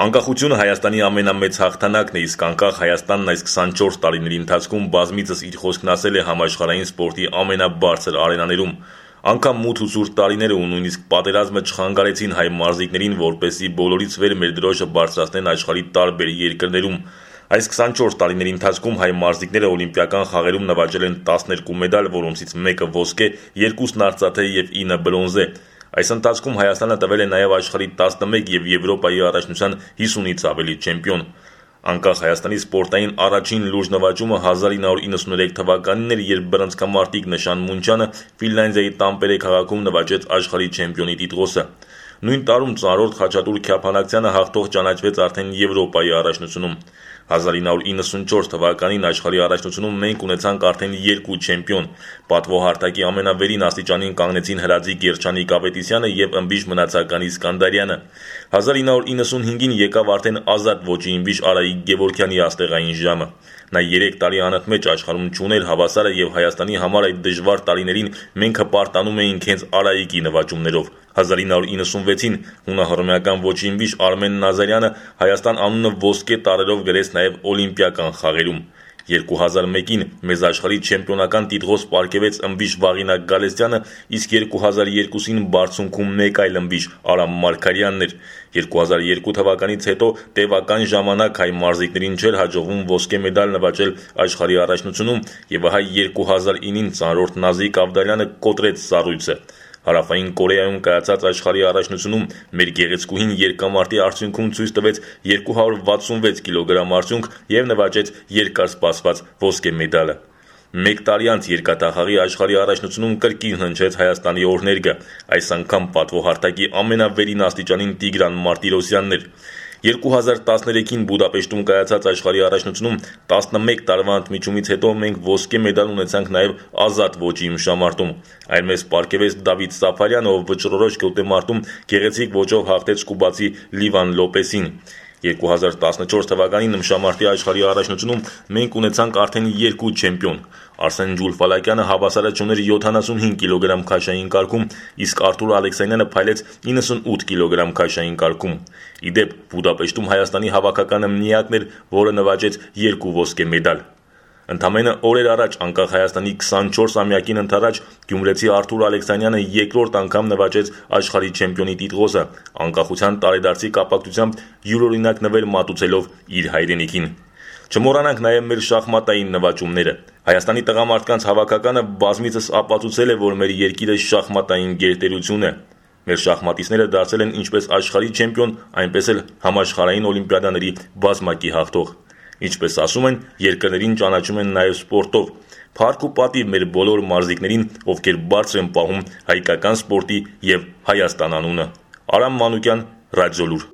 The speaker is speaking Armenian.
Անկախությունը Հայաստանի ամենամեծ հաղթանակն է, իսկ անկախ Հայաստանն այս 24 տարիների ընթացքում բազմիցս իր խոսքն ասել է համաշխարհային սպորտի ամենաբարձր արենաներում։ Անգամ մութ ու ցուրտ տարիները ու նույնիսկ պատերազմը չխանգարեցին հայ մարզիկներին, որպեսզի բոլորից վեր մեր դրոշը բարձրացնեն աշխարհի տարբեր երկրներում։ Այս 24 տարիների ընթացքում հայ մարզիկները օլիմպիական խաղերում նվաճել են 12 մեդալ, որոնցից մեկը ոսկե, 2-ն արծաթե և 9-ը բրոնզե։ Այս ընթացքում Հայաստանը տվել է նաև աշխարհի 11 և Եվրոպայի առաջնության 50-ից ավելի չեմպիոն։ Անկախ Հայաստանի սպորտային առաջին լուրջ նվաճումը 1993 թվականին էր, երբ բռնցքամարտիկ Նշան Մունչյանը Ֆինլանդիայի Տամպերե քաղաքում նվաճեց աշխարհի չեմպիոնի տիտղոսը։ Նույն տարում ծանրորդ Խաչատուր Քյափանակցյանը հաղթող ճանաչվեց արդեն Եվրոպայի առաջնությունում։ 1994 թվականին աշխարհի առաջնությունում մենք ունեցանք արդեն 2 չեմպիոն։ Պատվոհարթակի ամենավերին աստիճանին կանգնեցին Հրաձիկ Երջանիկ Ավետիսյանը և ըմբիշ մնացականի Սկանդարյանը։ 1995-ին եկավ արդեն ազատ ոճի ըմբիշ Արայիկ Գևորգյանի աստեղային ժամը։ Նա 3 տարի անընդմեջ աշխարհում չուներ հավասարը և Հայաստանի համար այդ դժվար տարիներին մենք հպարտանում էինք հենց Արայիկի նվաճումներով։ 1996-ին հունահռոմեական ոճի ըմբիշ Արմեն Նազարյանը Հայաստան անունը ոսկե տառերով գրեց նաև օլիմպիական խաղերում։ 2001-ին մեզ աշխարհի չեմպիոնական տիտղոս պարգևեց ըմբիշ Վաղինակ Գալստյանը, իսկ 2002-ին բարձունքում մեկ այլ ըմբիշ Արամ Մարգարյանն էր։ 2002 թվականից հետո տևական ժամանակ հայ մարզիկներին չէր հաջողվում ոսկե մեդալ նվաճել աշխարհի առաջնությունում, և ահա 2009-ին ծանրորդ Նազիկ Ավդալյանը կոտրեց սառույցը։ Հարավային Կորեայում կայացած աշխարհի առաջնությունում մեր գեղեցկուհին երկամարտի արդյունքում ցույց տվեց 266 կիլոգրամ արդյունք և նվաճեց երկար սպասված ոսկե մեդալը։ Մեկ տարի անց երկաթախաղի աշխարհի առաջնությունում կրկին հնչեց Հայաստանի օրհներգը, այս անգամ պատվոհարթակի ամենավերին աստիճանին Տիգրան Մարտիրոսյանն էր։ 2013-ին Բուդապեշտում կայացած աշխարհի առաջնությունում 11 տարվա ընդմիջումից հետո մենք ոսկե մեդալ ունեցանք նաև ազատ ոճի ըմբշամարտում։ Այլ մեզ պարգևեց Դավիթ Սաֆարյանը, ով վճռորոշ գոտեմարտում գեղեցիկ ոճով հաղթեց կուբացի Լիվան Լոպեսին։ 2014 թվականին ըմբշամարտի աշխարհի առաջնությունում մենք ունեցանք արդեն 2 չեմպիոն։ Արսեն Ջուլֆալակյանը հավասարը չուներ 75 կիլոգրամ քաշային կարգում, իսկ Արթուր Ալեքսանյանը փայլեց 98 կիլոգրամ քաշային կարգում։ Ի դեպ, Բուդապեշտում Հայաստանի հավաքականը միակն էր, որը նվաճեց 2 ոսկե մեդալ։ Ընդամենը օրեր առաջ, անկախ Հայաստանի 24-ամյակին ընդառաջ, գյումրեցի Արթուր Ալեքսանյանը երկրորդ անգամ նվաճեց աշխարհի չեմպիոնի տիտղոսը, անկախության տարեդարձի կապակցությամբ յուրօրինակ նվեր մատուցելով իր հայրենիքին։ Չմոռանանք նաև մեր շախմատային նվաճումները։ Հայաստանի տղամարդկանց հավաքականը բազմիցս ապացուցել է, որ մեր երկիրը շախմատային գերտերություն է։ Մեր շախմատիստները դարձել են ինչպես աշխարհի չեմպիոն, այնպես էլ համաշխարհային օլիմպիադաների բազմակի հաղթող։ Ինչպես ասում են, երկրներին ճանաչում են նաև սպորտով։ Փառք ու պատիվ մեր բոլոր մարզիկներին, ովքեր բարձր են պահում հայկական սպորտի և Հայաստան անունը։ Արամ Մանուկյան, Ռադիոլուր։